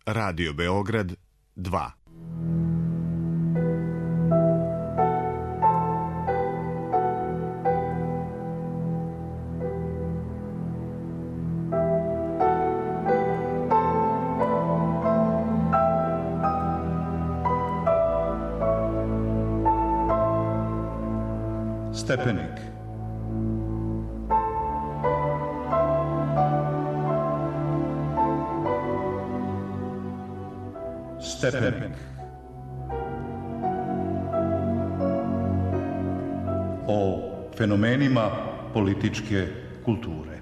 Radio Beograd 2. Stepenik. Stepenik. O fenomenima političke kulture.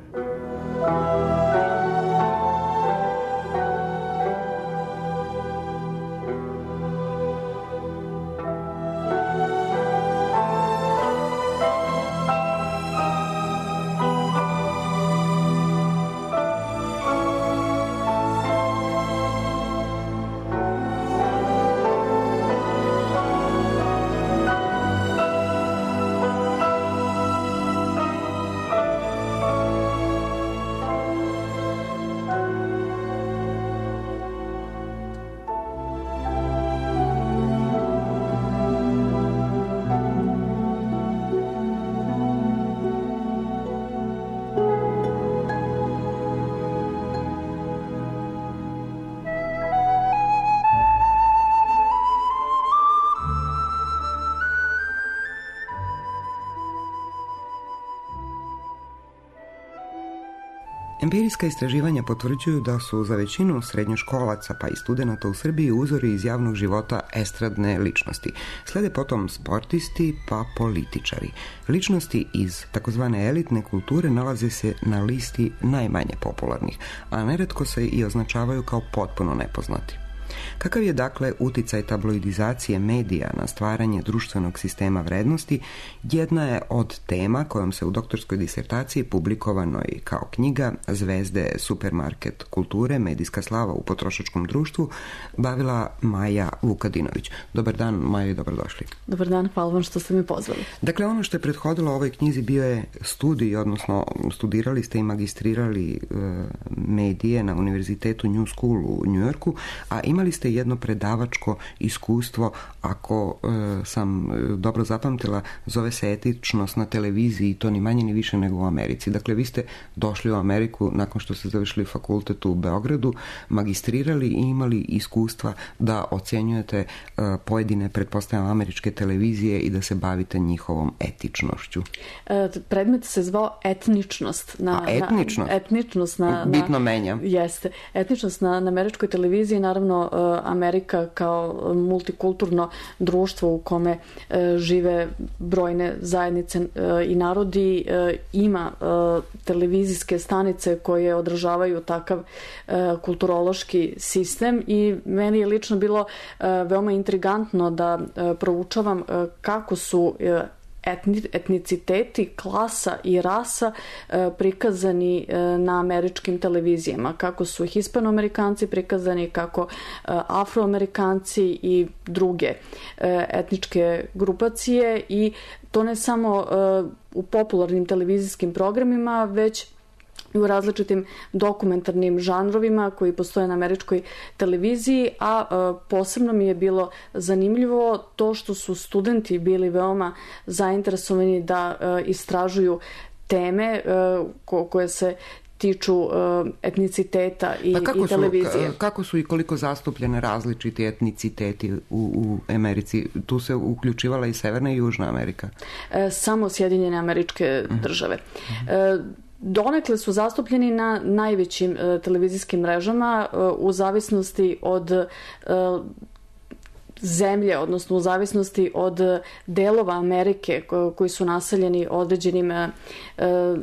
Empirijska istraživanja potvrđuju da su za većinu srednjoškolaca pa i studenata u Srbiji uzori iz javnog života estradne ličnosti. Slede potom sportisti pa političari. Ličnosti iz takozvane elitne kulture nalaze se na listi najmanje popularnih, a neretko se i označavaju kao potpuno nepoznati. Kakav je dakle uticaj tabloidizacije medija na stvaranje društvenog sistema vrednosti, jedna je od tema kojom se u doktorskoj disertaciji publikovanoj kao knjiga Zvezde supermarket kulture, medijska slava u potrošačkom društvu bavila Maja Vukadinović. Dobar dan, Maja, i dobrodošli. Dobar dan, hvala vam što ste mi pozvali. Dakle, ono što je prethodilo ovoj knjizi bio je studij, odnosno studirali ste i magistrirali medije na Univerzitetu New School u Njujorku, a imali ste jedno predavačko iskustvo, ako sam dobro zapamtila, zove se etičnost na televiziji, i to ni manje ni više nego u Americi. Dakle, vi ste došli u Ameriku nakon što ste završili fakultet u Beogradu, magistrirali i imali iskustva da ocjenjujete pojedine, pretpostavljam, američke televizije i da se bavite njihovom etičnošću. Predmet se zvao etničnost. Etničnost bitno menja. Jeste. Etničnost na američkoj televiziji, naravno Amerika kao multikulturno društvo u kome žive brojne zajednice i narodi ima televizijske stanice koje odražavaju takav kulturološki sistem i meni je lično bilo veoma intrigantno da proučavam kako su etniciteti, klasa i rasa prikazani na američkim televizijama. Kako su Hispanoamerikanci prikazani, kako Afroamerikanci i druge etničke grupacije, i to ne samo u popularnim televizijskim programima, već i u različitim dokumentarnim žanrovima koji postoje na američkoj televiziji, a posebno mi je bilo zanimljivo to što su studenti bili veoma zainteresovani da istražuju teme koje se tiču etniciteta i televizije. Kako su i koliko zastupljene različiti etniciteti u Americi? Tu se uključivala i Severna i Južna Amerika? Samo Sjedinjene Američke Države. Donekle su zastupljeni na najvećim televizijskim mrežama u zavisnosti od zemlje, odnosno u zavisnosti od delova Amerike koji su naseljeni određenim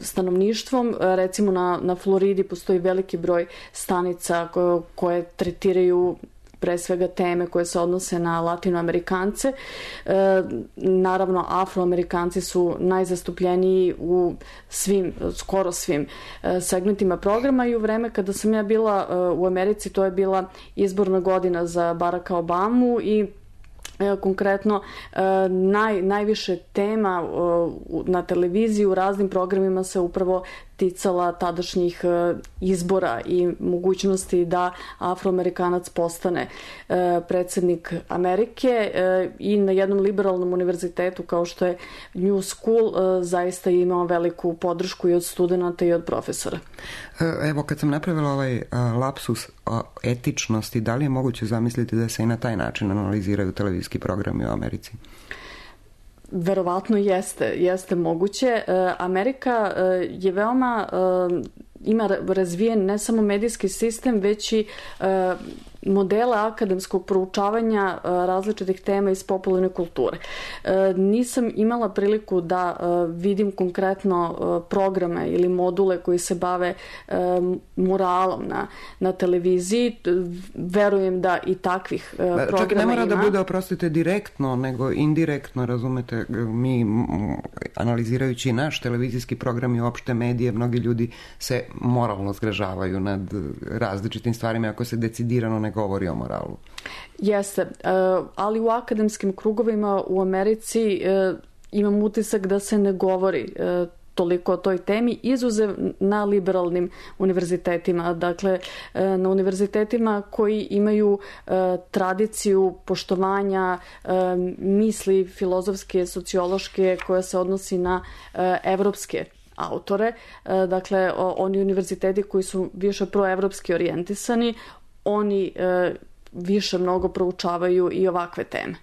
stanovništvom. Recimo na Floridi postoji veliki broj stanica koje tretiraju pre svega teme koje se odnose na Latinoamerikance. Naravno, Afroamerikanci su najzastupljeniji u skoro svim segmentima programa, i u vreme kada sam ja bila u Americi, to je bila izborna godina za Baracka Obamu, i konkretno najviše tema na televiziji u raznim programima se upravo ticala tadašnjih izbora i mogućnosti da Afroamerikanac postane predsjednik Amerike, i na jednom liberalnom univerzitetu kao što je New School zaista je imao veliku podršku i od studenata i od profesora. Evo, kad sam napravila ovaj lapsus etičnosti, da li je moguće zamisliti da se i na taj način analiziraju televizijski programi u Americi? Verovatno jeste moguće. Amerika je veoma, ima razvijen ne samo medijski sistem, već i modele akademskog proučavanja različitih tema iz popularne kulture. Nisam imala priliku da vidim konkretno programe ili module koji se bave muralom na televiziji. Verujem da i takvih programa ima. Čak ne mora da bude, oprostite, direktno, nego indirektno, razumete, mi analizirajući naš televizijski program i opšte medije, mnogi ljudi se moralno zgražavaju nad različitim stvarima ako se decidirano ne govori o moralu. Jeste, ali u akademskim krugovima u Americi imam utisak da se ne govori toliko o toj temi, izuzev na liberalnim univerzitetima. Dakle, na univerzitetima koji imaju tradiciju poštovanja misli filozofske, sociološke, koja se odnosi na evropske autore. Dakle, oni univerziteti koji su više proevropski orijentisani, oni više mnogo proučavaju i ovakve teme.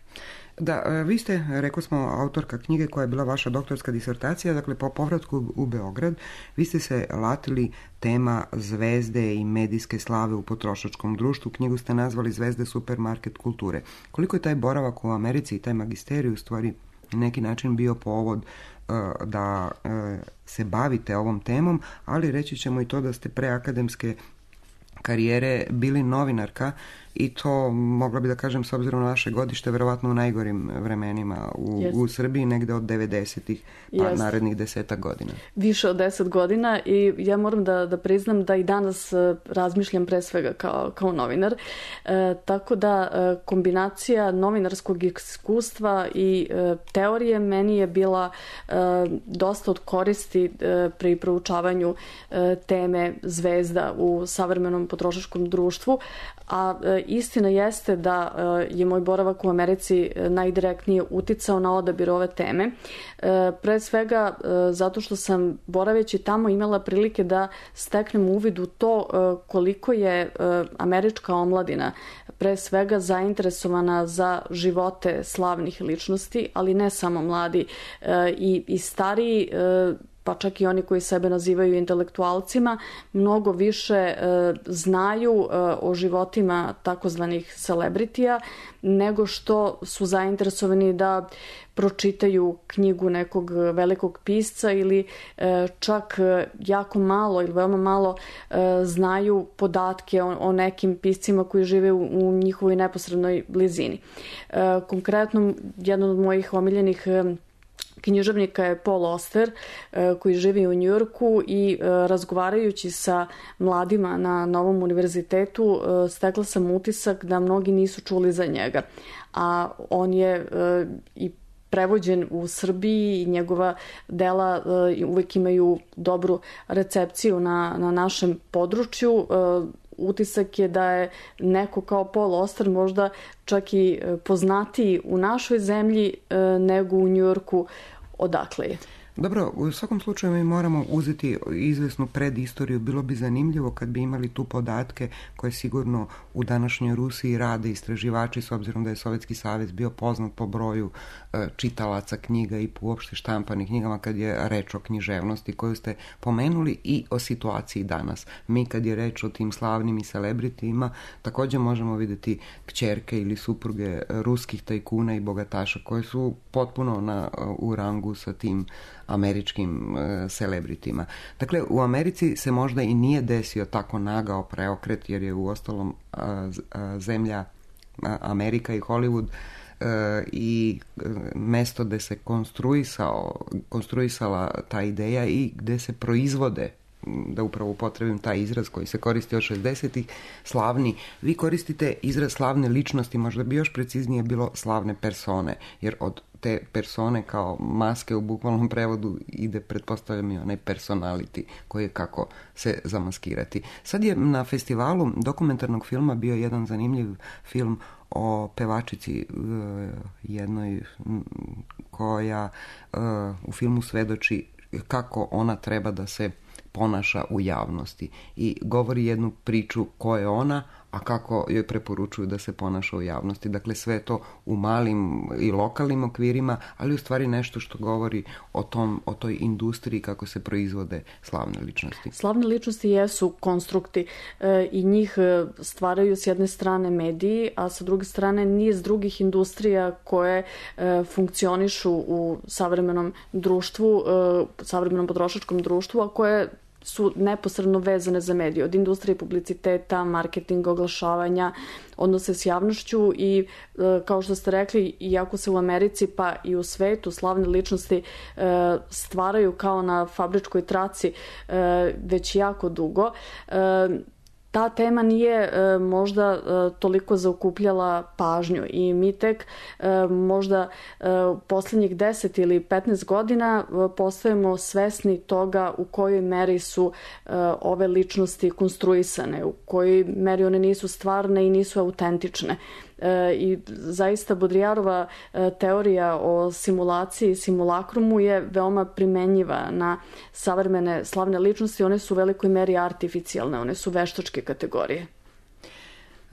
Da, vi ste, rekao smo, autorka knjige koja je bila vaša doktorska disertacija, dakle po povratku u Beograd, vi ste se latili tema zvezde i medijske slave u potrošačkom društvu. Knjigu ste nazvali Zvezde supermarket kulture. Koliko je taj boravak u Americi i taj magisterij u stvari na neki način bio povod da se bavite ovom temom, ali reći ćemo i to da ste pre akademske karijere bili novinarka, i to, mogla bi da kažem, s obzirom na vaše godište, verovatno u najgorim vremenima u Srbiji, negde od 90-ih pa narednih 10 godina. Više od 10 godina, i ja moram da priznam da i danas razmišljam pre svega kao novinar. Tako da kombinacija novinarskog iskustva i teorije meni je bila dosta od koristi pri proučavanju teme zvezda u savremenom potrošačkom društvu, a istina jeste da je moj boravak u Americi najdirektnije uticao na odabir ove teme. Pre svega zato što sam, boraveći tamo, imala prilike da steknem uvid u to koliko je američka omladina pre svega zainteresovana za živote slavnih ličnosti, ali ne samo mladi, i stariji, pa čak i oni koji sebe nazivaju intelektualcima, mnogo više znaju o životima takozvanih celebritija nego što su zainteresovani da pročitaju knjigu nekog velikog pisca, ili čak jako malo ili veoma malo znaju podatke o nekim piscima koji žive u njihovoj neposrednoj blizini. Konkretno, jedan od mojih omiljenih književnika je Paul Auster, koji živi u Njujorku, i razgovarajući sa mladima na Novom univerzitetu stekla sam utisak da mnogi nisu čuli za njega. A on je i prevođen u Srbiji i njegova dela uvek imaju dobru recepciju na našem području. Utisak je da je neko kao Paul Auster možda čak i poznatiji u našoj zemlji nego u Njujorku odakle je. Dobro, u svakom slučaju mi moramo uzeti izvesnu predistoriju. Bilo bi zanimljivo kad bi imali tu podatke koje sigurno u današnjoj Rusiji rade istraživači, s obzirom da je Sovjetski savez bio poznat po broju čitalaca knjiga i uopšte štampanih knjigama, kad je reč o književnosti koju ste pomenuli, i o situaciji danas. Mi kad je reč o tim slavnim i celebritima, također možemo vidjeti kćerke ili supruge ruskih tajkuna i bogataša koje su potpuno u rangu sa tim američkim celebritima. Dakle, u Americi se možda i nije desio tako nagao preokret, jer je uostalom zemlja Amerika i Hollywood i mesto gde se konstruisala ta ideja i gde se proizvode, da upravo upotrebim taj izraz koji se koristi od 60-ih, slavni. Vi koristite izraz slavne ličnosti, možda bi još preciznije bilo slavne persone, jer od te persone kao maske u bukvalnom prevodu ide, pretpostavljam, i onaj personality koji je kako se zamaskirati. Sad je na festivalu dokumentarnog filma bio jedan zanimljiv film o pevačici jednoj koja u filmu svedoči kako ona treba da se ponaša u javnosti i govori jednu priču ko je ona, a kako joj preporučuju da se ponaša u javnosti. Dakle, sve to u malim i lokalnim okvirima, ali u stvari nešto što govori o toj industriji kako se proizvode slavne ličnosti. Slavne ličnosti jesu konstrukti i njih stvaraju s jedne strane mediji, a sa druge strane niz drugih industrija koje funkcionišu u savremenom društvu, savremenom potrošačkom društvu, a koje su neposredno vezane za medije, od industrije publiciteta, marketinga, oglašavanja, odnose s javnošću i kao što ste rekli, iako se u Americi pa i u svetu slavne ličnosti stvaraju kao na fabričkoj traci već jako dugo, ta tema nije možda toliko zaokupljala pažnju i mi tek možda posljednjih 10 ili 15 godina postajemo svesni toga u kojoj meri su ove ličnosti konstruisane, u kojoj meri one nisu stvarne i nisu autentične. I zaista Baudrillardova teorija o simulaciji i simulakrumu je veoma primenjiva na savremene slavne ličnosti. One su u velikoj meri artificijalne, one su veštačke kategorije.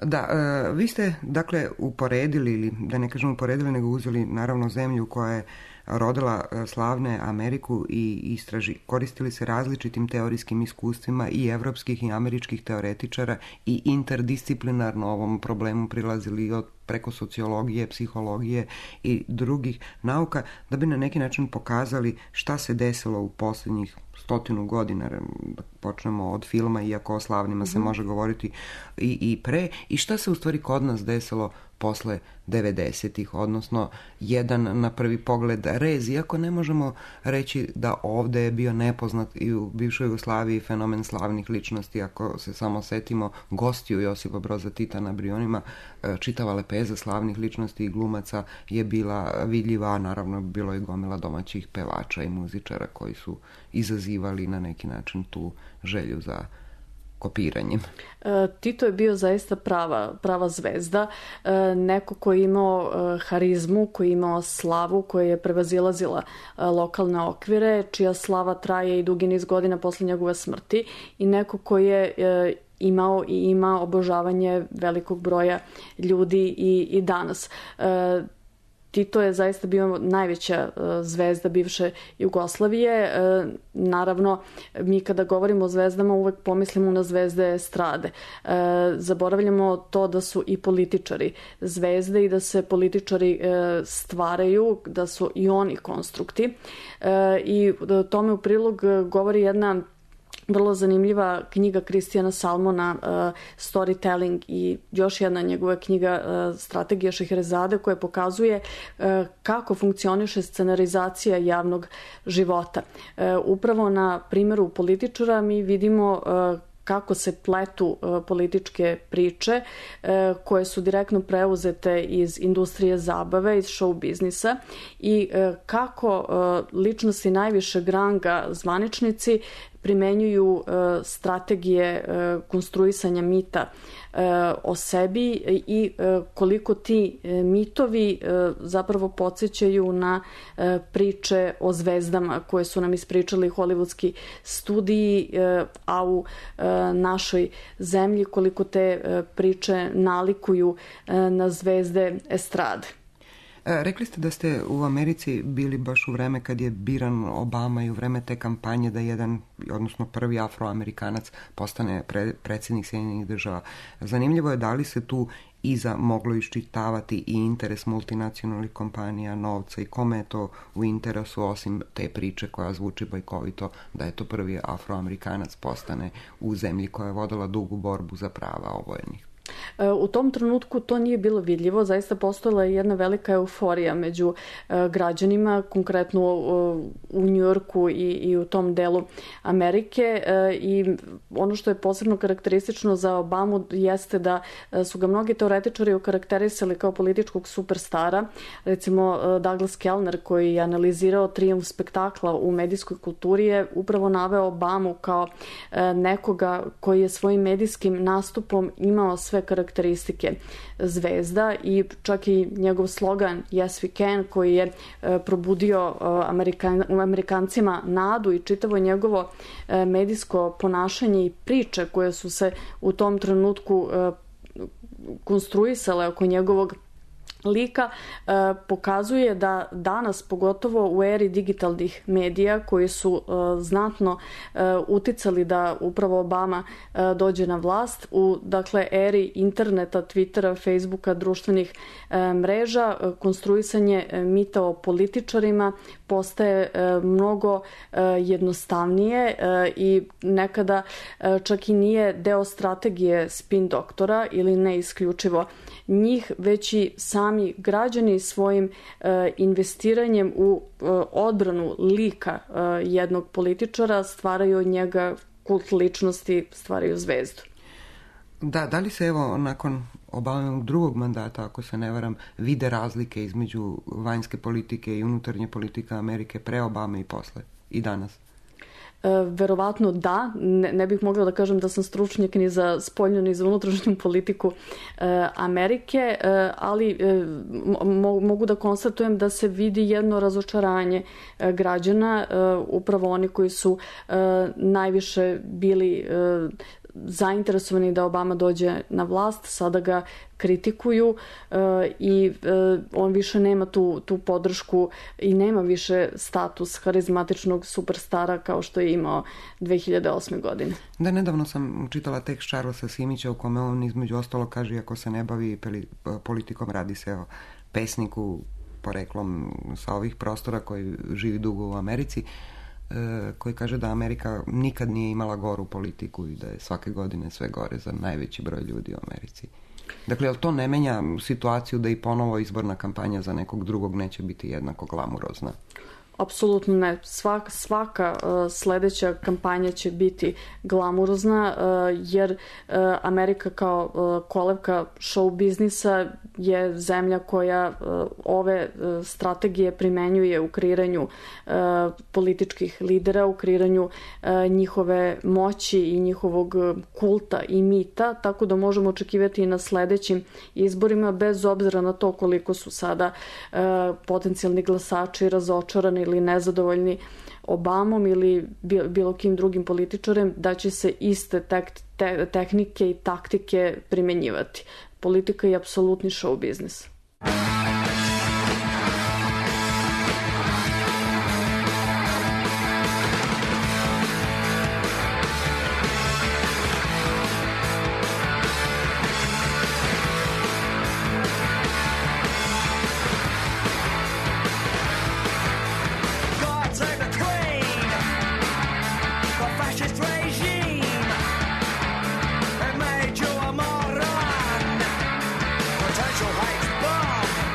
Da, vi ste dakle uporedili, ili da ne kažem uporedili, nego uzeli naravno zemlju koja je rodila slavne Ameriku i koristili se različitim teorijskim iskustvima i evropskih i američkih teoretičara i interdisciplinarno ovom problemu prilazili od preko sociologije, psihologije i drugih nauka, da bi na neki način pokazali šta se desilo u posljednjih 100 godina, da počnemo od filma, iako o slavnima se može govoriti i pre, i šta se u stvari kod nas desilo posle 90-ih, odnosno jedan na prvi pogled rez, iako ne možemo reći da ovde je bio nepoznat i u bivšoj Jugoslaviji fenomen slavnih ličnosti. Ako se samo setimo gostiju Josipa Broza Tita na Brionima, čitava lepeza slavnih ličnosti i glumaca je bila vidljiva, naravno bilo je gomila domaćih pevača i muzičara koji su izazivali na neki način tu želju za kopiranjem. Tito je bio zaista prava zvezda, neko koji je imao harizmu, koji je imao slavu, koja je prevazilazila lokalne okvire, čija slava traje i dugi niz godina posle njegove smrti, i neko koji je imao i ima obožavanje velikog broja ljudi i danas. Tito je zaista bio najveća zvezda bivše Jugoslavije. Naravno, mi kada govorimo o zvezdama uvek pomislimo na zvezde estrade. Zaboravljamo to da su i političari zvezde i da se političari stvaraju, da su i oni konstrukti. I tome u prilog govori jedna vrlo zanimljiva knjiga Kristijana Salmona, Storytelling, i još jedna njegova knjiga Strategija Šeherezade, koja pokazuje kako funkcioniše scenarizacija javnog života. Upravo na primjeru političara mi vidimo kako se pletu političke priče koje su direktno preuzete iz industrije zabave, iz show biznisa, i kako ličnosti najvišeg ranga, zvaničnici, primenjuju strategije konstruisanja mita o sebi i koliko ti mitovi zapravo podsjećaju na priče o zvezdama koje su nam ispričali hollywoodski studiji, a u našoj zemlji koliko te priče nalikuju na zvezde estrade. Rekli ste da ste u Americi bili baš u vreme kad je biran Obama i u vreme te kampanje da jedan, odnosno prvi Afroamerikanac postane predsjednik Sjedinjenih Država. Zanimljivo je da li se tu iza moglo iščitavati i interes multinacionalnih kompanija, novca, i kome je to u interesu osim te priče koja zvuči bajkovito da je to prvi Afroamerikanac postane u zemlji koja je vodila dugu borbu za prava obojenih. U tom trenutku to nije bilo vidljivo, zaista postojala je jedna velika euforija među građanima, konkretno u Njujorku i u tom delu Amerike, i ono što je posebno karakteristično za Obamu jeste da su ga mnogi teoretičari okarakterisali kao političkog superstara. Recimo Douglas Kellner, koji je analizirao trijumf spektakla u medijskoj kulturi, je upravo naveo Obamu kao nekoga koji je svojim medijskim nastupom imao sve karakteristike zvezda, i čak i njegov slogan Yes we can, koji je probudio Amerikancima nadu, i čitavo njegovo medijsko ponašanje i priče koje su se u tom trenutku konstruisale oko njegovog lika, pokazuje da danas, pogotovo u eri digitalnih medija koji su znatno uticali da upravo Obama dođe na vlast, u eri interneta, Twittera, Facebooka, društvenih mreža, konstruisanje mita o političarima postaje mnogo jednostavnije i nekada čak i nije deo strategije spin doktora ili ne isključivo njih, već i sami građani svojim investiranjem u odbranu lika jednog političara stvaraju od njega kult ličnosti, stvaraju zvezdu. Da li se evo nakon Obamovog drugog mandata, ako se ne varam, vide razlike između vanjske politike i unutarnje politike Amerike pre Obame i posle i danas? Verovatno da, ne bih mogla da kažem da sam stručnjak ni za spoljnu ni za unutrašnju politiku Amerike, ali mogu da konstatujem da se vidi jedno razočaranje građana, upravo oni koji su najviše bili zainteresovani da Obama dođe na vlast, sada ga kritikuju i on više nema tu podršku i nema više status harizmatičnog superstara kao što je imao 2008. godine. Da, nedavno sam čitala tekst Charlesa Simića u kome on između ostalo kaže, ako se ne bavi politikom, radi se o pesniku poreklom sa ovih prostora koji živi dugo u Americi, koji kaže da Amerika nikad nije imala goru politiku i da je svake godine sve gore za najveći broj ljudi u Americi. Dakle, jel to ne menja situaciju da i ponovo izborna kampanja za nekog drugog neće biti jednako glamurozna? Apsolutno ne. Svaka sledeća kampanja će biti glamurozna, jer Amerika kao kolevka show biznisa je zemlja koja ove strategije primenjuje u kreiranju političkih lidera, u kreiranju njihove moći i njihovog kulta i mita, tako da možemo očekivati i na sledećim izborima, bez obzira na to koliko su sada potencijalni glasači razočarani ili nezadovoljni Obamom ili bilo kim drugim političarem, da će se iste tehnike i taktike primenjivati. Politika je apsolutni show biznis. Potential hate bomb.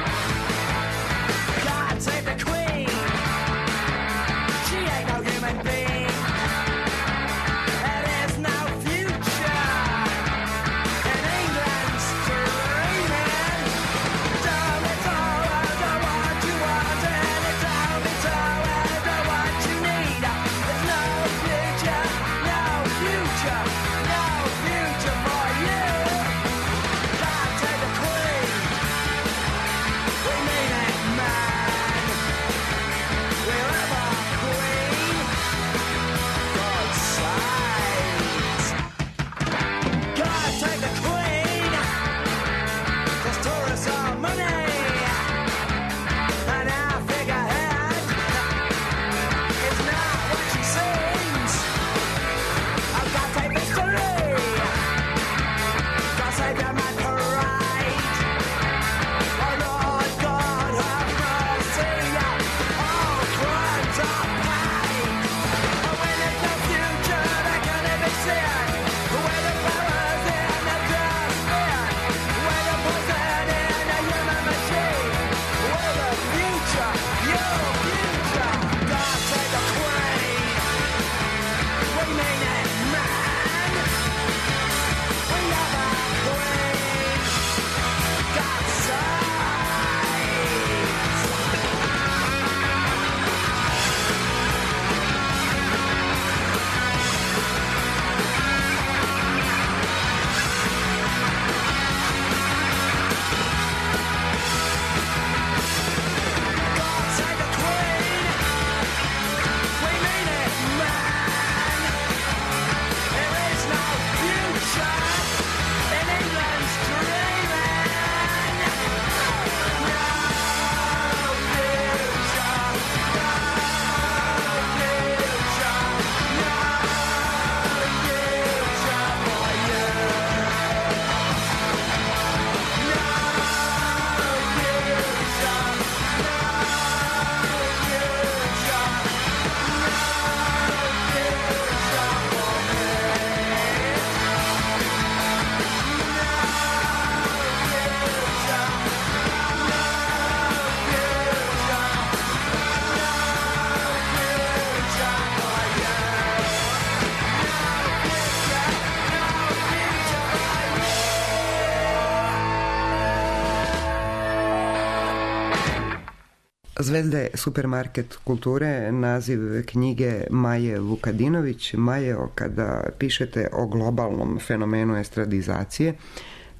Zvezda je supermarket kulture, naziv knjige Maje Vukadinović. Maje, kada pišete o globalnom fenomenu estradizacije,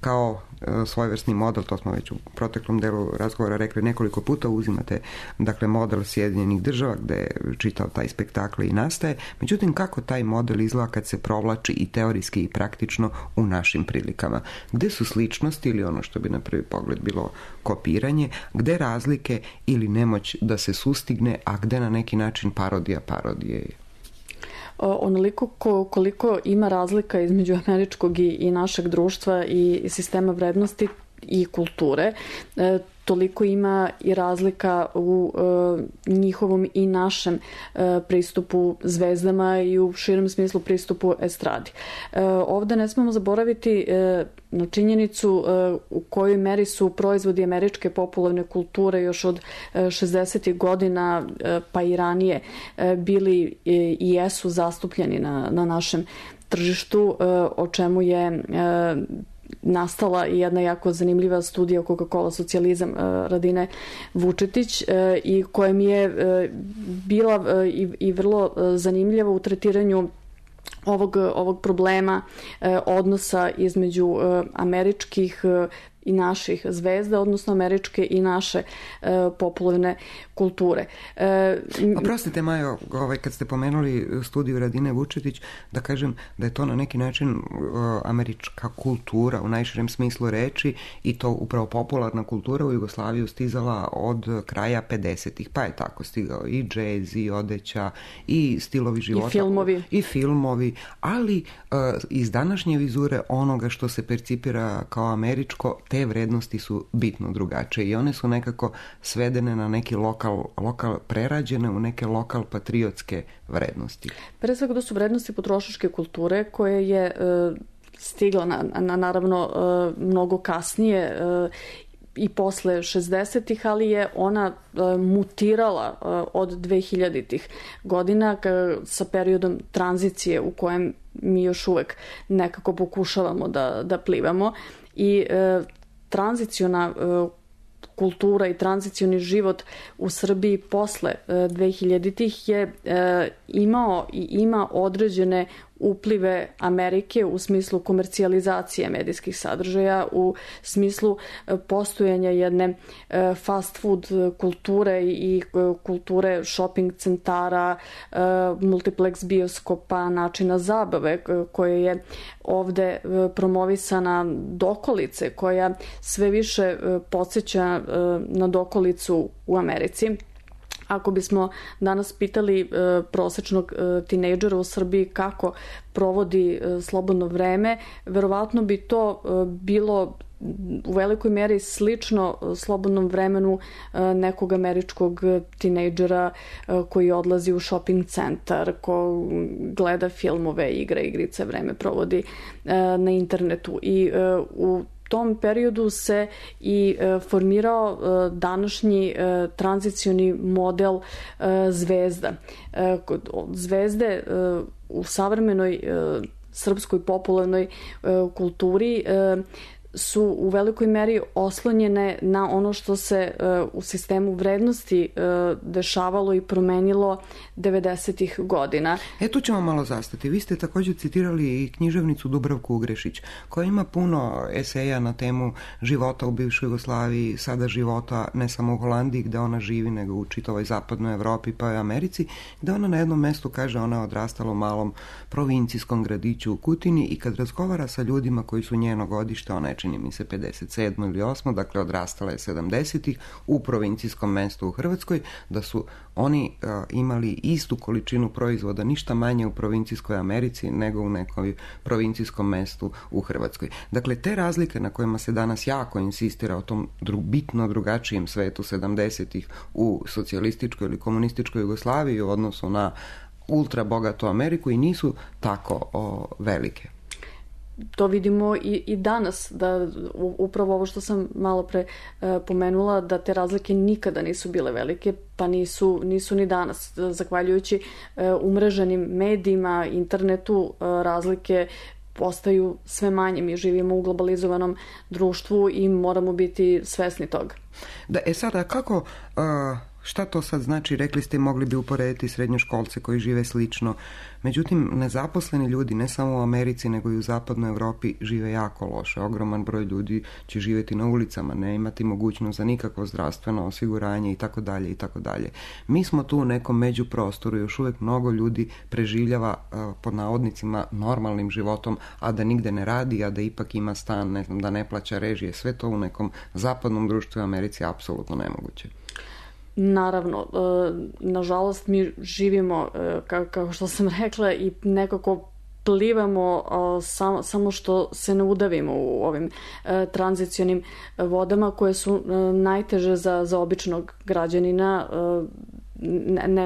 kao svojevrsni model, to smo već u proteklom delu razgovora rekli nekoliko puta, uzimate dakle model Sjedinjenih država gde je čitav taj spektakl i nastaje. Međutim, kako taj model izgleda kad se provlači i teorijski i praktično u našim prilikama? Gde su sličnosti ili ono što bi na prvi pogled bilo kopiranje, gde razlike ili nemoć da se sustigne, a gde na neki način parodija je? Onoliko koliko ima razlika između američkog i našeg društva i sistema vrednosti i kulture, toliko ima i razlika u njihovom i našem pristupu zvezdama i u širem smislu pristupu estradi. Ovde ne smemo zaboraviti na činjenicu u kojoj meri su proizvodi američke popularne kulture još od 60. godina pa i ranije bili i jesu zastupljeni na našem tržištu, o čemu je nastala i jedna jako zanimljiva studija Coca-Cola socijalizam Radine Vučetić i koja mi je bila i vrlo zanimljiva u tretiranju ovog problema odnosa između američkih i naših zvezda, odnosno američke i naše popularne kulture. Oprostite, Majo, kad ste pomenuli studiju Radine Vučetić, da kažem da je to na neki način američka kultura u najširem smislu reči i to upravo popularna kultura u Jugoslaviju stizala od kraja 50-ih, pa je tako stigao i džez, i odeća, i stilovi života. I filmovi, ali iz današnje vizure onoga što se percipira kao američko, te vrednosti su bitno drugačije i one su nekako svedene na neki lokal prerađene u neke lokal patriotske vrednosti. Pre svega to su vrednosti potrošačke kulture koje je stigla naravno mnogo kasnije i posle 60-ih, ali je ona mutirala od 2000-ih godina sa periodom tranzicije u kojem mi još uvek nekako pokušavamo da plivamo i tranziciona kultura i tranzicioni život u Srbiji posle 2000-ih je imao i ima određene uplive Amerike u smislu komercijalizacije medijskih sadržaja, u smislu postojanja jedne fast food kulture i kulture shopping centara, multiplex bioskopa, načina zabave koje je ovde promovisana dokolice, koja sve više podsjeća na dokolicu u Americi. Ako bismo danas pitali prosečnog tinejdžera u Srbiji kako provodi slobodno vreme, verovatno bi to bilo u velikoj meri slično slobodnom vremenu nekog američkog tinejdžera koji odlazi u shopping centar, ko gleda filmove, igrice, vreme provodi na internetu. I u tom periodu se i formirao današnji tranzicioni model zvezda. Zvezde u savremenoj srpskoj popularnoj kulturi su u velikoj meri oslonjene na ono što se u sistemu vrednosti dešavalo i promenilo 90-ih godina. Tu ćemo malo zastati. Vi ste također citirali i književnicu Dubravku Ugrešić, koja ima puno eseja na temu života u bivšoj Jugoslaviji, sada života ne samo u Holandiji gde ona živi, nego u čitavoj zapadnoj Evropi pa i Americi, gde ona na jednom mestu kaže ona je odrastala u malom provincijskom gradiću u Kutini i kad razgovara sa ljudima koji su njeno godište, ona je čini mi se 57. ili 8. dakle odrastala je 70-ih u provincijskom mestu u Hrvatskoj, da su oni imali istu količinu proizvoda, ništa manje u provincijskoj Americi nego u nekom provincijskom mestu u Hrvatskoj. Dakle, te razlike na kojima se danas jako insistira o tom bitno drugačijem svetu 70-ih u socijalističkoj ili komunističkoj Jugoslaviji u odnosu na ultra bogatu Ameriku i nisu tako velike. To vidimo i danas, da upravo ovo što sam malo pre pomenula, da te razlike nikada nisu bile velike, pa nisu ni danas. Zahvaljujući umreženim medijima, internetu, razlike postaju sve manje. Mi živimo u globalizovanom društvu i moramo biti svesni toga. Da, sada kako Šta to sad znači? Rekli ste, mogli bi uporediti srednjoškolce koji žive slično. Međutim, nezaposleni ljudi, ne samo u Americi, nego i u zapadnoj Evropi, žive jako loše. Ogroman broj ljudi će živjeti na ulicama, ne imati mogućnost za nikakvo zdravstveno osiguranje itd. itd. Mi smo tu u nekom međuprostoru, još uvijek mnogo ljudi preživljava pod navodnicima normalnim životom, a da nigde ne radi, a da ipak ima stan, ne znam, da ne plaća režije. Sve to u nekom zapadnom društvu u Americi je apsolutno nemoguće. Naravno, nažalost mi živimo, kao što sam rekla, i nekako plivamo samo što se ne udavimo u ovim tranzicionim vodama koje su najteže za običnog građanina.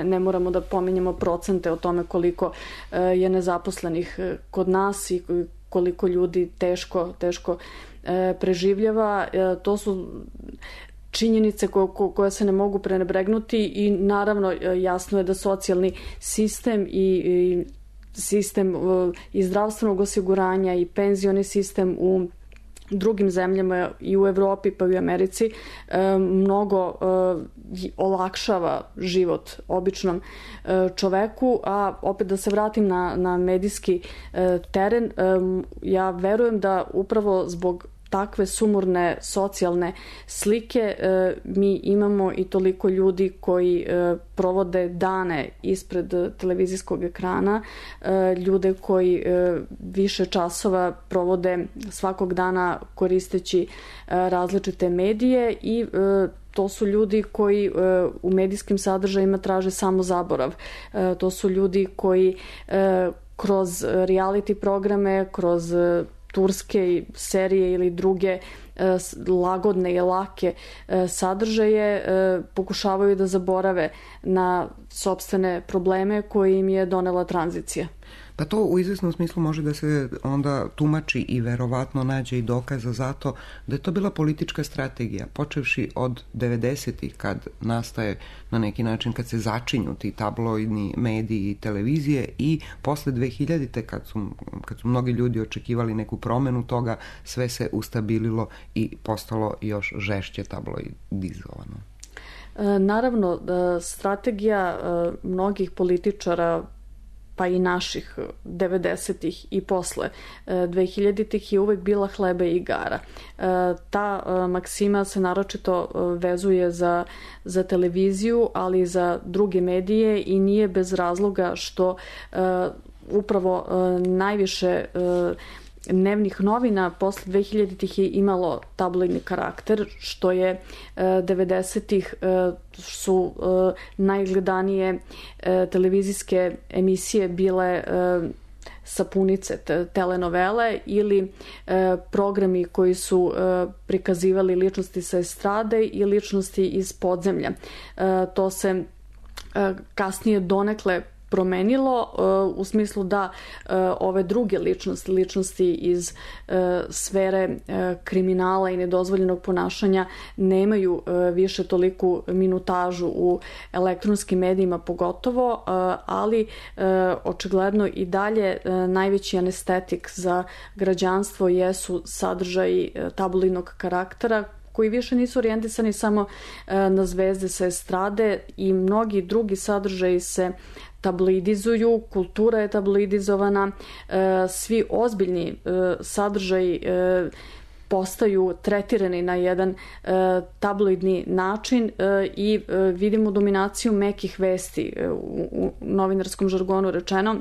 Ne moramo da pominjemo procente o tome koliko je nezaposlenih kod nas i koliko ljudi teško preživljava. To su činjenice koje se ne mogu prenebregnuti i naravno jasno je da socijalni sistem i sistem i zdravstvenog osiguranja i penzioni sistem u drugim zemljama i u Evropi pa i u Americi mnogo olakšava život običnom čoveku, a opet da se vratim na medijski teren, ja verujem da upravo zbog takve sumorne socijalne slike mi imamo i toliko ljudi koji provode dane ispred televizijskog ekrana, ljude koji više časova provode svakog dana koristeći različite medije i to su ljudi koji u medijskim sadržajima traže samo zaborav. To su ljudi koji kroz reality programe, kroz turske serije ili druge lagodne i lake sadržaje pokušavaju da zaborave na sopstvene probleme koje im je donela tranzicija. Pa to u izvjesnom smislu može da se onda tumači i verovatno nađe i dokaza za to da je to bila politička strategija, počevši od 90-ih kad nastaje na neki način, kad se začinju ti tabloidni mediji i televizije i posle 2000-te kad su mnogi ljudi očekivali neku promenu toga, sve se ustabililo i postalo još žešće tabloidizovano. Naravno, strategija mnogih političara pa i naših 90-ih i posle 2000-ih je uvek bila hleba i igara. Ta maksima se naročito vezuje za televiziju, ali i za druge medije i nije bez razloga što upravo najviše dnevnih novina posle 2000-ih je imalo tabloidni karakter, što je 90-ih su najgledanije televizijske emisije bile sapunice, telenovele ili programi koji su prikazivali ličnosti sa estrade i ličnosti iz podzemlja. To se kasnije donekle promenilo u smislu da ove druge ličnosti iz sfere kriminala i nedozvoljenog ponašanja nemaju više toliku minutažu u elektronskim medijima pogotovo, ali očigledno i dalje najveći anestetik za građanstvo jesu sadržaji tabloidnog karaktera koji više nisu orijentisani samo na zvezde sa estrade i mnogi drugi sadržaji se tabloidizuju, kultura je tabloidizovana, svi ozbiljni sadržaji postaju tretirani na jedan tabloidni način i vidimo dominaciju mekih vesti u novinarskom žargonu rečeno.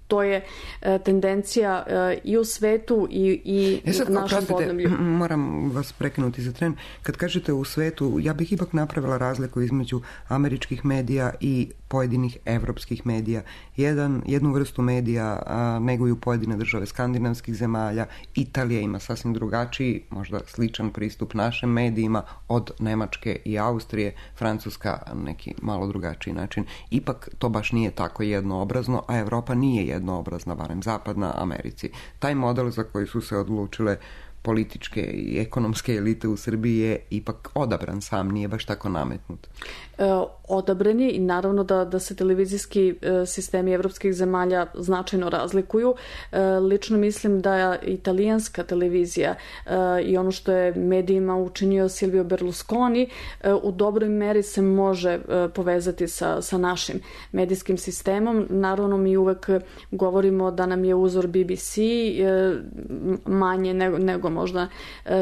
To je tendencija i u svetu i u našem podneblju. Moram vas prekinuti za tren. Kad kažete u svetu, ja bih ipak napravila razliku između američkih medija i pojedinih evropskih medija. Jednu vrstu medija neguju pojedine države skandinavskih zemalja. Italija ima sasvim drugačiji, možda sličan pristup našim medijima od Nemačke i Austrije, Francuska neki malo drugačiji način. Ipak to baš nije tako jednoobrazno, a Evropa nije jednoobrazna, barem zapadna Americi. Taj model za koji su se odlučile političke i ekonomske elite u Srbiji je ipak odabran sam, nije baš tako nametnut. Odabran je i naravno da se televizijski sistemi evropskih zemalja značajno razlikuju. Lično mislim da italijanska televizija i ono što je medijima učinio Silvio Berlusconi u dobroj meri se može povezati sa našim medijskim sistemom. Naravno mi uvek govorimo da nam je uzor BBC manje nego možda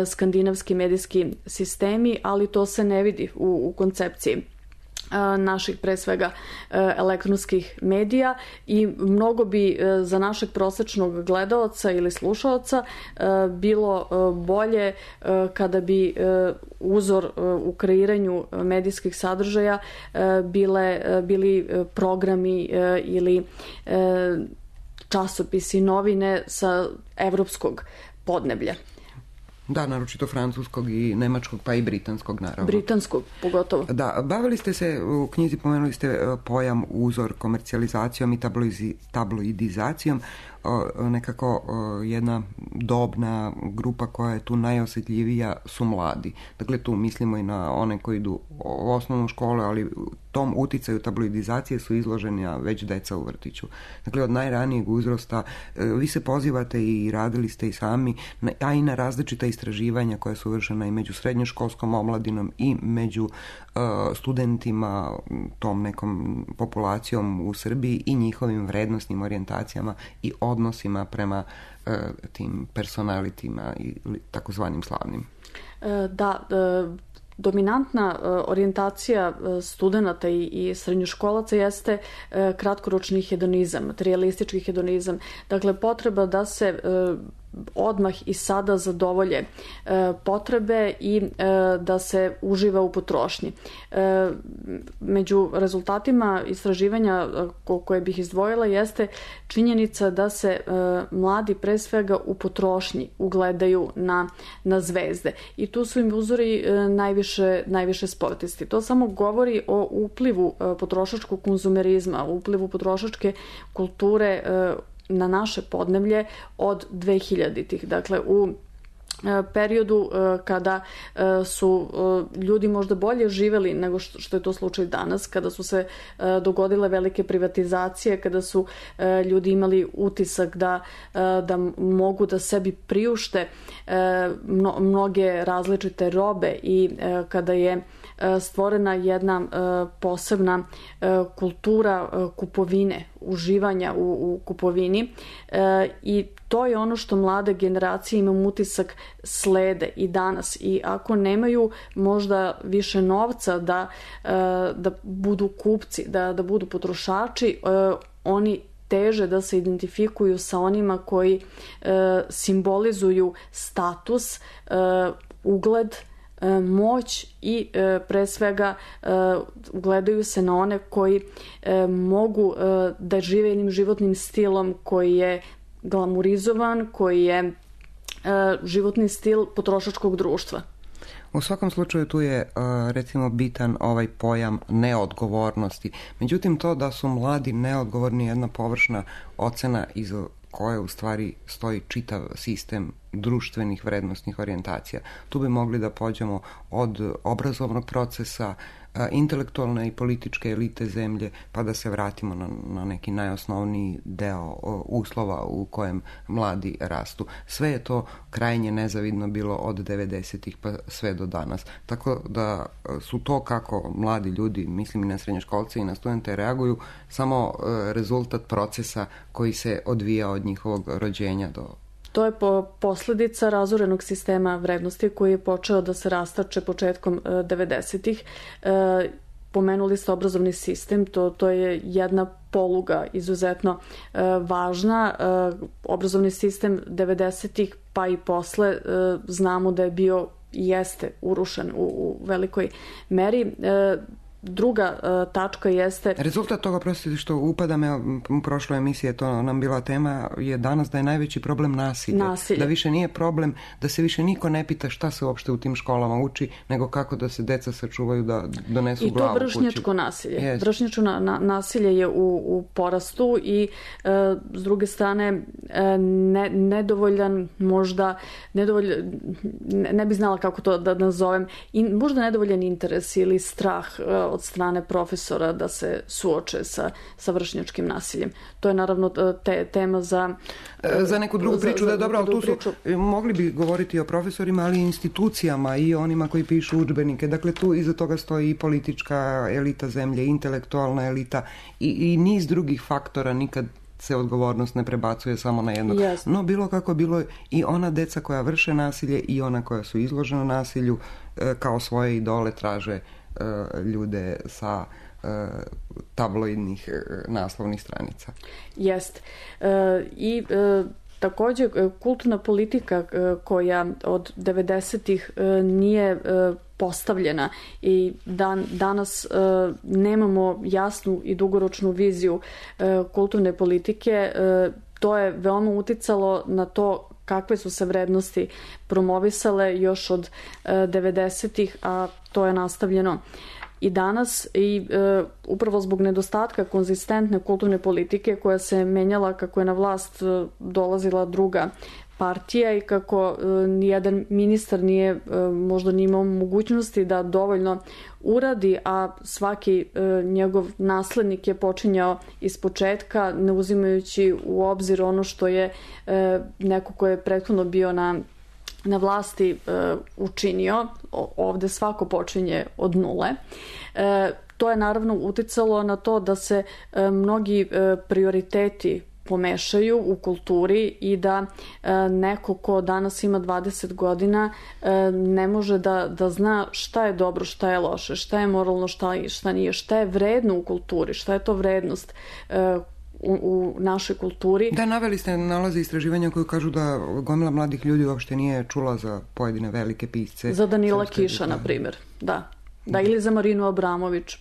skandinavski medijski sistemi, ali to se ne vidi u koncepciji naših pre svega elektronskih medija i mnogo bi za našeg prosečnog gledaoca ili slušaoca bilo bolje kada bi uzor u kreiranju medijskih sadržaja bili programi ili časopisi, novine sa evropskog podneblja. Da, naročito francuskog i nemačkog, pa i britanskog, naravno. Britanskog, pogotovo. Da, bavili ste se, u knjizi pomenuli ste pojam uzor komercijalizacijom i tabloidizacijom. Nekako jedna dobna grupa koja je tu najosjetljivija su mladi. Dakle, tu mislimo i na one koji idu u osnovnu školu, ali tom uticaju tabloidizacije su izloženi već deca u vrtiću. Dakle, od najranijeg uzrasta vi se pozivate i radili ste i sami, a i na različita istraživanja koja su vršena i među srednjoškolskom omladinom i među studentima, tom nekom populacijom u Srbiji i njihovim vrednostnim orijentacijama i odnosima prema tim personalitima i takozvanim slavnim. Da, dominantna orijentacija studenata i srednjoškolaca jeste kratkoročni hedonizam, materialistički hedonizam. Dakle, potreba da se odmah i sada zadovolje potrebe i da se uživa u potrošnji. Među rezultatima istraživanja koje bih izdvojila jeste činjenica da se mladi pre svega u potrošnji ugledaju na zvezde. I tu su im uzori najviše sportisti. To samo govori o uplivu potrošačkog konzumerizma, uplivu potrošačke kulture na naše podneblje od 2000-ih. Dakle, u periodu kada su ljudi možda bolje živeli nego što je to slučaj danas, kada su se dogodile velike privatizacije, kada su ljudi imali utisak da mogu da sebi priušte mnoge različite robe i kada je stvorena jedna posebna kultura kupovine, uživanja u kupovini i to je ono što mlade generacije, imam utisak, slede i danas. I ako nemaju možda više novca da budu kupci, da budu potrošači, oni teže da se identifikuju sa onima koji simbolizuju status, ugled, moć i pre svega ugledaju se na one koji mogu da žive jednim životnim stilom koji je glamurizovan, koji je životni stil potrošačkog društva. U svakom slučaju tu je recimo bitan ovaj pojam neodgovornosti. Međutim, to da su mladi neodgovorni je jedna površna ocena iza koje u stvari stoji čitav sistem društvenih vrednostnih orijentacija. Tu bi mogli da pođemo od obrazovnog procesa, intelektualne i političke elite zemlje, pa da se vratimo na neki najosnovniji deo uslova u kojem mladi rastu. Sve je to krajnje nezavidno bilo od 90-ih pa sve do danas. Tako da su to kako mladi ljudi, mislim i na srednjoškolce i na studente, reaguju, samo rezultat procesa koji se odvija od njihovog rođenja do... To je posledica razorenog sistema vrednosti koji je počeo da se rastače početkom 90-ih. Pomenuli ste obrazovni sistem, to je jedna poluga izuzetno važna. Obrazovni sistem 90-ih pa i posle znamo da je bio i jeste urušen u velikoj meri. druga tačka jeste... Rezultat toga, prostite što upadam, u prošloj emisiji je to nam bila tema, je danas da je najveći problem nasilje. Da više nije problem, da se više niko ne pita šta se uopšte u tim školama uči, nego kako da se deca sačuvaju da donesu glavu kući. I to vršnjačko nasilje. Vršnjačko nasilje je u porastu i s druge strane nedovoljan možda, ne bi znala kako to da nazovem, možda nedovoljan interes ili strah od strane profesora da se suoče sa vršnjačkim nasiljem. To je naravno tema za neku drugu priču, da je dobro, ali tu su, mogli bi govoriti o profesorima, ali i institucijama i onima koji pišu udžbenike. Dakle, tu iza toga stoji i politička elita zemlje, intelektualna elita i niz drugih faktora. Nikad se odgovornost ne prebacuje samo na jednog. No, bilo kako bilo, i ona deca koja vrše nasilje i ona koja su izložena nasilju kao svoje idole traže ljude sa tabloidnih naslovnih stranica. Jest. I također kulturna politika koja od 90-ih nije postavljena i danas nemamo jasnu i dugoročnu viziju kulturne politike, to je veoma uticalo na to kakve su se vrednosti promovisale još od 90-ih, a to je nastavljeno i danas, i upravo zbog nedostatka konzistentne kulturne politike koja se menjala kako je na vlast dolazila druga partija i kako nijedan ministar nije možda ni imao mogućnosti da dovoljno uradi, a svaki njegov naslednik je počinjao ispočetka, ne uzimajući u obzir ono što je neko ko je prethodno bio na vlasti učinio. Ovde svako počinje od nule. To je naravno uticalo na to da se mnogi prioriteti pomešaju u kulturi i da neko ko danas ima 20 godina ne može da zna šta je dobro, šta je loše, šta je moralno, šta nije, šta je vredno u kulturi, šta je to vrednost u našoj kulturi. Da, naveli ste nalaze istraživanja koji kažu da gomila mladih ljudi uopšte nije čula za pojedine velike pisce. Za Danila Kiša, na primjer. Da, ili za Marinu Abramović,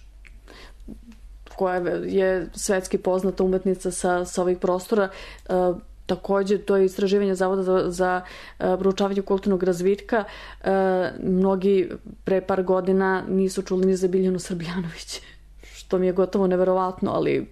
koja je svetski poznata umetnica sa ovih prostora. Također, to je istraživanje Zavoda za proučavanje kulturnog razvitka. Mnogi pre par godina nisu čuli ni za Biljanu Srbljanović, što mi je gotovo neverovatno, ali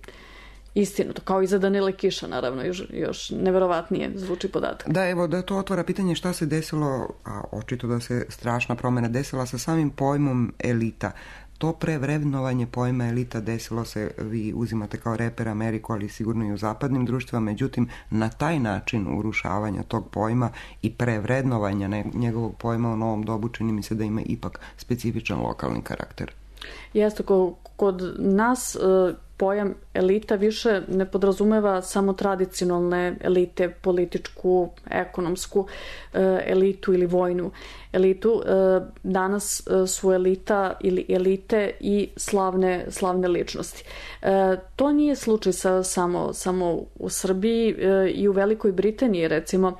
istinu, kao i za Danila Kiša, naravno, još neverovatnije zvuči podatak. Da, evo, da to otvara pitanje šta se desilo, a očito da se strašna promjena desila sa samim pojmom elita. To prevrednovanje pojma elita desilo se, vi uzimate kao reper Ameriku, ali sigurno i u zapadnim društvima, međutim, na taj način urušavanja tog pojma i prevrednovanja njegovog pojma u novom dobu čini mi se da ima ipak specifičan lokalni karakter. Jeste, kod nas pojam elita više ne podrazumeva samo tradicionalne elite, političku, ekonomsku elitu ili vojnu elitu. Danas su elita ili elite i slavne ličnosti. To nije slučaj samo u Srbiji. I u Velikoj Britaniji, recimo,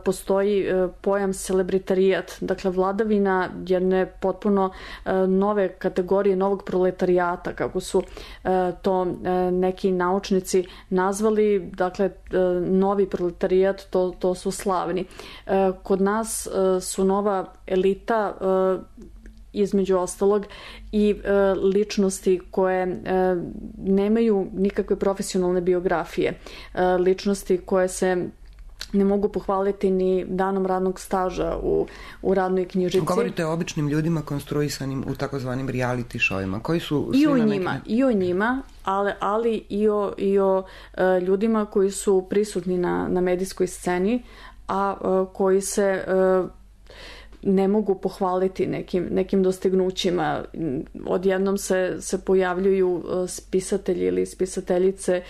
postoji pojam celebritariat, dakle vladavina jedne potpuno nove kategorije, novog proletarijata, kako su to neki naučnici nazvali, dakle novi proletarijat, to su slavni. Kod nas su nova elita između ostalog i ličnosti koje nemaju nikakve profesionalne biografije, ličnosti koje se ne mogu pohvaliti ni danom radnog staža u radnoj knjižici. Govorite o običnim ljudima konstruisanim u takozvanim reality showima, koji su I o njima, ali i o ljudima koji su prisutni na medijskoj sceni, a koji se ne mogu pohvaliti nekim dostignućima. Odjednom se pojavljuju spisatelji ili spisateljice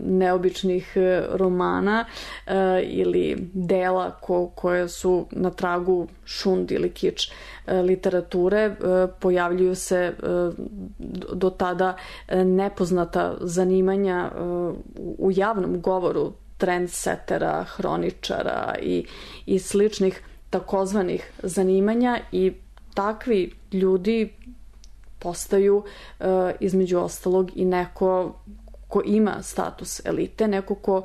neobičnih romana ili dela koje su na tragu šund ili kič literature. Pojavljuju se do tada nepoznata zanimanja u javnom govoru trendsetera, hroničara i sličnih takozvanih zanimanja, i takvi ljudi postaju između ostalog i neko ko ima status elite, neko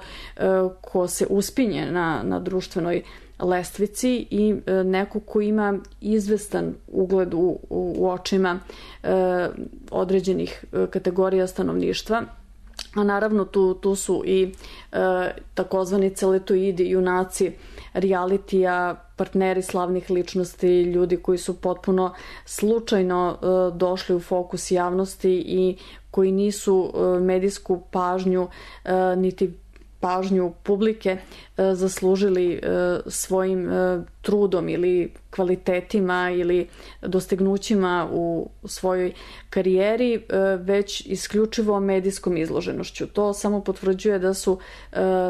ko se uspinje na društvenoj lestvici i neko ko ima izvestan ugled u očima određenih kategorija stanovništva. A naravno tu su i takozvani celetoidi, junaci realitija, partneri slavnih ličnosti, ljudi koji su potpuno slučajno došli u fokus javnosti i koji nisu medijsku pažnju niti pažnju publike zaslužili svojim trudom ili kvalitetima ili dostignućima u svojoj karijeri, već isključivo medijskom izloženošću. To samo potvrđuje da su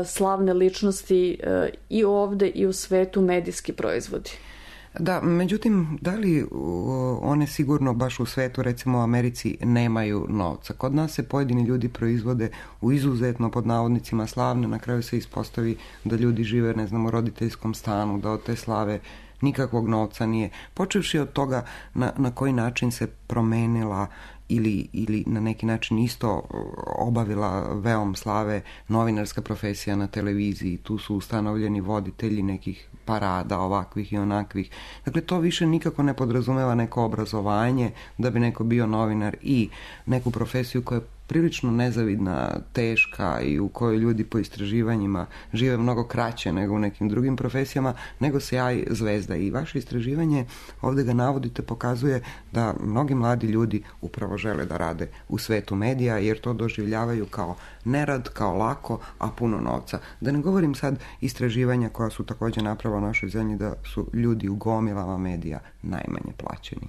slavne ličnosti i ovde i u svetu medijski proizvodi. Da, međutim, da li one sigurno baš u svetu, recimo u Americi, nemaju novca? Kod nas se pojedini ljudi proizvode u izuzetno, pod navodnicima, slavne, na kraju se ispostavi da ljudi žive, ne znam, u roditeljskom stanu, da od te slave nikakvog novca nije. Počevši od toga na koji način se promenila ili na neki način isto obavila veom slave novinarska profesija na televiziji. Tu su ustanovljeni voditelji nekih parada ovakvih i onakvih. Dakle, to više nikako ne podrazumeva neko obrazovanje da bi neko bio novinar i neku profesiju koja je prilično nezavidna, teška i u kojoj ljudi po istraživanjima žive mnogo kraće nego u nekim drugim profesijama, nego sjaj zvezda. I vaše istraživanje, ovdje ga navodite, pokazuje da mnogi mladi ljudi upravo žele da rade u svetu medija, jer to doživljavaju kao nerad, kao lako, a puno novca. Da ne govorim sad istraživanja koja su također napravila u našoj zemlji da su ljudi u gomilama medija najmanje plaćeni.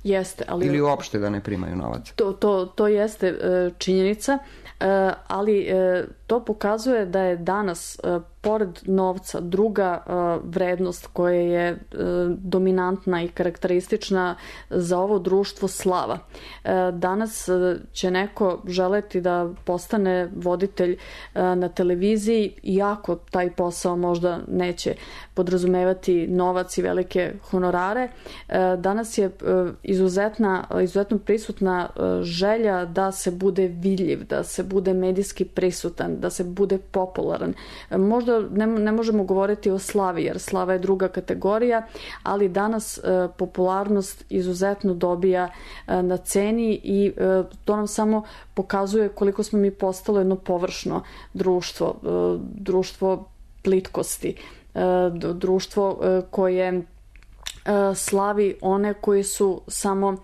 Jeste, ali ili uopšte da ne primaju novac. To jeste činjenica, ali to pokazuje da je danas pored novca druga vrednost koja je dominantna i karakteristična za ovo društvo slava. Danas će neko želeti da postane voditelj na televiziji, iako taj posao možda neće podrazumevati novac i velike honorare. Danas je izuzetno prisutna želja da se bude vidljiv, da se bude medijski prisutan, da se bude popularan. Možda ne možemo govoriti o slavi, jer slava je druga kategorija, ali danas popularnost izuzetno dobija na ceni i to nam samo pokazuje koliko smo mi postalo jedno površno društvo plitkosti, društvo koje slavi one koji su samo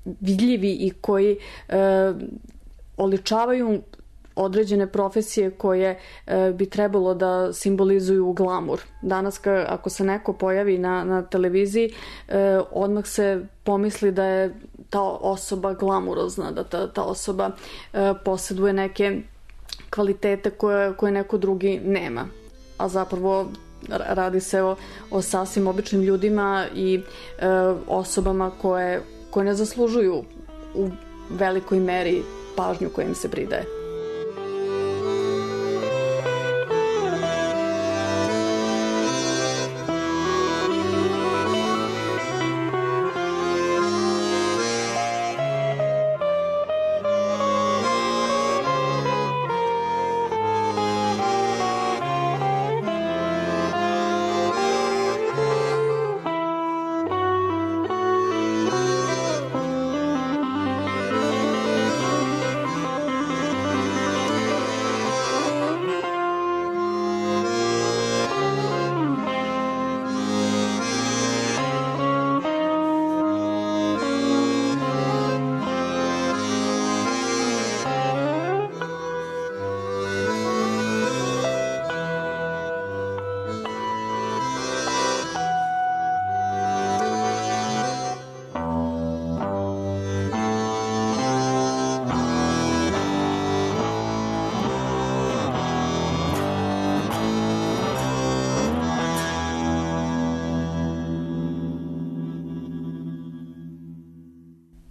vidljivi i koji oličavaju određene profesije koje bi trebalo da simbolizuju glamur. Danas ako se neko pojavi na televiziji, odmah se pomisli da je ta osoba glamurozna, da ta osoba posjeduje neke kvalitete koje neko drugi nema. A zapravo radi se o sasvim običnim ljudima i osobama koje ne zaslužuju u velikoj meri pažnju koja im se pridaje.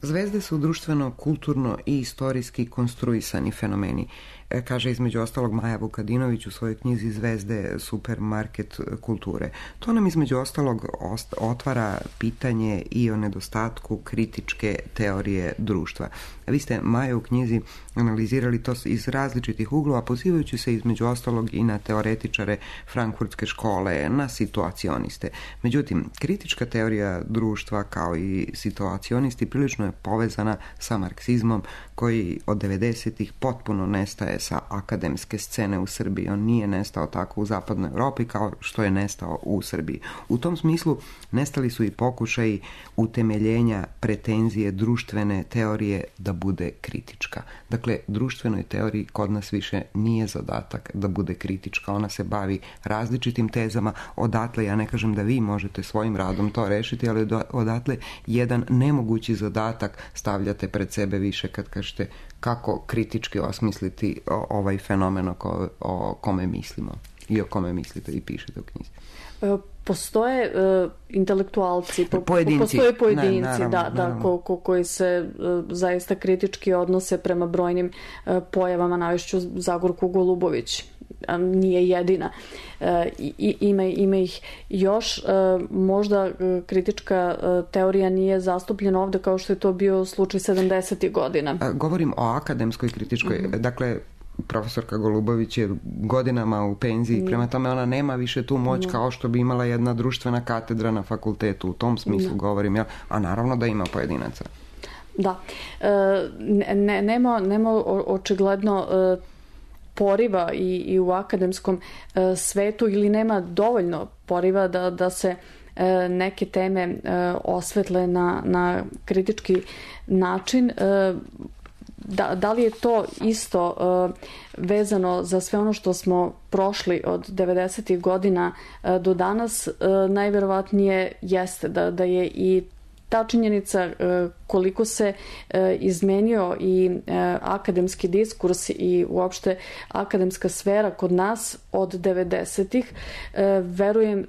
Zvezde su društveno, kulturno i istorijski konstruisani fenomeni. kaže između ostalog Maja Vukadinović u svojoj knjizi Zvezde supermarket kulture. To nam između ostalog otvara pitanje i o nedostatku kritičke teorije društva. Vi ste, Maja, u knjizi analizirali to iz različitih uglova, pozivajući se između ostalog i na teoretičare frankfurtske škole, na situacioniste. Međutim, kritička teorija društva kao i situacionisti prilično je povezana sa marksizmom, koji od 90-ih potpuno nestaje sa akademske scene u Srbiji. On nije nestao tako u zapadnoj Europi kao što je nestao u Srbiji. U tom smislu nestali su i pokušaji utemeljenja pretenzije društvene teorije da bude kritička. Dakle, društvenoj teoriji kod nas više nije zadatak da bude kritička. Ona se bavi različitim tezama. Odatle, ja ne kažem da vi možete svojim radom to rešiti, ali odatle jedan nemogući zadatak stavljate pred sebe više kad kažete kako kritički osmisliti ovaj fenomen o kome mislimo i o kome mislite i pišete u knjizi. Postoje intelektualci, pojedinci. Postoje pojedinci, naravno. koji se zaista kritički odnose prema brojnim pojavama, navešću Zagorku Golubović, nije jedina. Ima ih još. Možda kritička teorija nije zastupljena ovde kao što je to bio slučaj 70. godina. Govorim o akademskoj kritičkoj, dakle, profesorka Golubović je godinama u penziji, prema tome ona nema više tu moć kao što bi imala jedna društvena katedra na fakultetu, u tom smislu govorim, ja, a naravno da ima pojedinaca. Da. Nema očigledno poriva i u akademskom svetu, ili nema dovoljno poriva da se neke teme osvetle na kritički način. Da li je to isto vezano za sve ono što smo prošli od 90. godina do danas? Najverovatnije jeste da je i ta činjenica koliko se izmenio i akademski diskurs i uopšte akademska sfera kod nas od 90-ih, verujem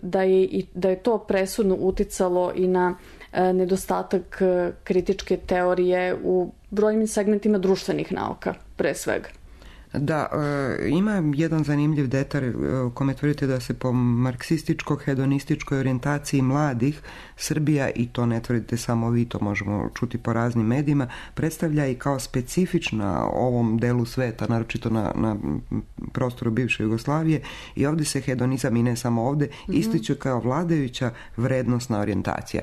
da je to presudno uticalo i na nedostatak kritičke teorije u brojnim segmentima društvenih nauka, pre svega. Da, ima jedan zanimljiv detalj u kome tvrdite da se po marksističko-hedonističkoj orijentaciji mladih Srbija, i to ne tvrdite samo vi, to možemo čuti po raznim medijima, predstavlja i kao specifična ovom delu sveta, naročito na prostoru bivše Jugoslavije, i ovdje se hedonizam, i ne samo ovdje, ističe kao vladajuća vrednosna orijentacija.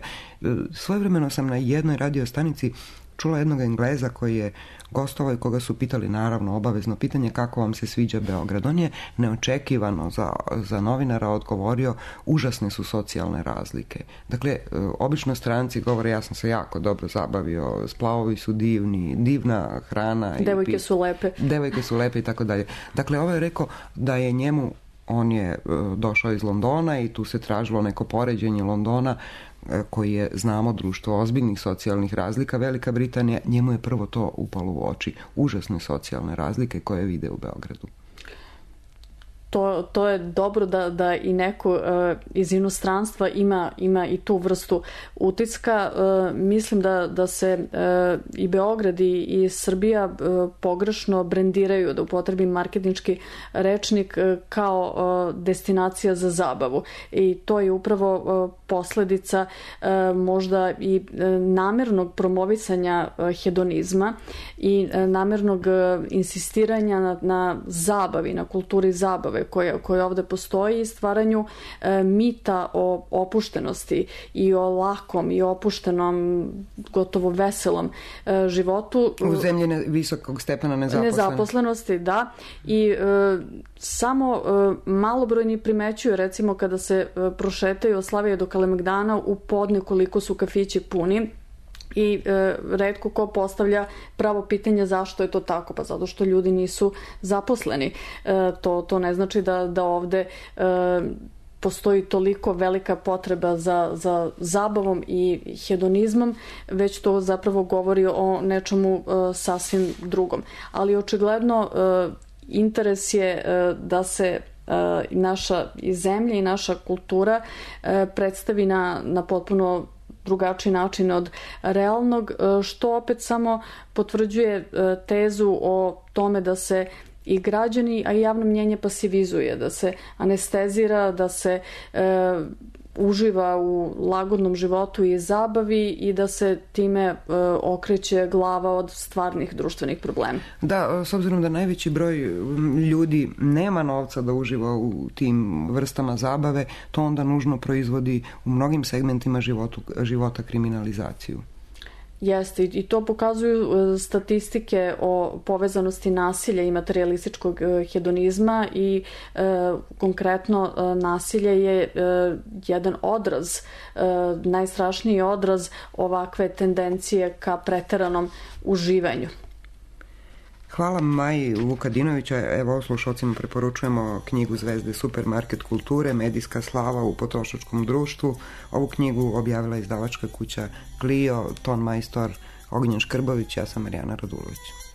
Svojevremeno sam na jednoj radio stanici čula jednog Engleza koji je gostovao i koga su pitali, naravno, obavezno pitanje kako vam se sviđa Beograd. On je neočekivano za novinara odgovorio, užasne su socijalne razlike. Dakle, obično stranci govore, ja sam se jako dobro zabavio, splavovi su divni, divna hrana. Devojke su lepe. Devojke su lepe i tako dalje. Dakle, ovo je rekao da je njemu, on je došao iz Londona i tu se tražilo neko poređenje Londona, koji je, znamo, društvo ozbiljnih socijalnih razlika. Velika Britanija, njemu je prvo to upalo u oči. Užasne socijalne razlike koje vide u Beogradu. To je dobro da i neko iz inostranstva ima i tu vrstu utiska. Mislim da se i Beograd i Srbija pogrešno brendiraju, da upotrebim marketinški rečnik, kao destinacija za zabavu. I to je upravo posledica možda i namernog promovisanja hedonizma i namernog insistiranja na zabavi, na kulturi zabave koja ovde postoji, i stvaranju mita o opuštenosti i o lakom i opuštenom, gotovo veselom životu. U zemlji visokog stepena nezaposlenosti, da. I samo malobrojni primećuju, recimo, kada se prošetaju od Slavije do Kalemegdana u podne, koliko su kafići puni. I retko ko postavlja pravo pitanje zašto je to tako. Pa zato što ljudi nisu zaposleni. To ne znači da ovde postoji toliko velika potreba za zabavom i hedonizmom, već to zapravo govori o nečemu sasvim drugom. Ali očigledno interes je da se naša zemlja i naša kultura predstavi na potpuno drugačiji način od realnog, što opet samo potvrđuje tezu o tome da se i građani, a i javno mnjenje pasivizuje, da se anestezira, da se uživa u lagodnom životu i zabavi i da se time okreće glava od stvarnih društvenih problema. Da, s obzirom da najveći broj ljudi nema novca da uživa u tim vrstama zabave, to onda nužno proizvodi u mnogim segmentima života kriminalizaciju. Jeste, i to pokazuju statistike o povezanosti nasilja i materijalističkog hedonizma i konkretno nasilje je jedan odraz, najstrašniji odraz ovakve tendencije ka preteranom uživanju. Hvala Maji Vukadinovića. Evo, slušalcima preporučujemo knjigu Zvezde supermarket kulture, medijska slava u potrošačkom društvu. Ovu knjigu objavila izdavačka kuća Clio, ton majstor Ognjen Škrbović, ja sam Marijana Radulović.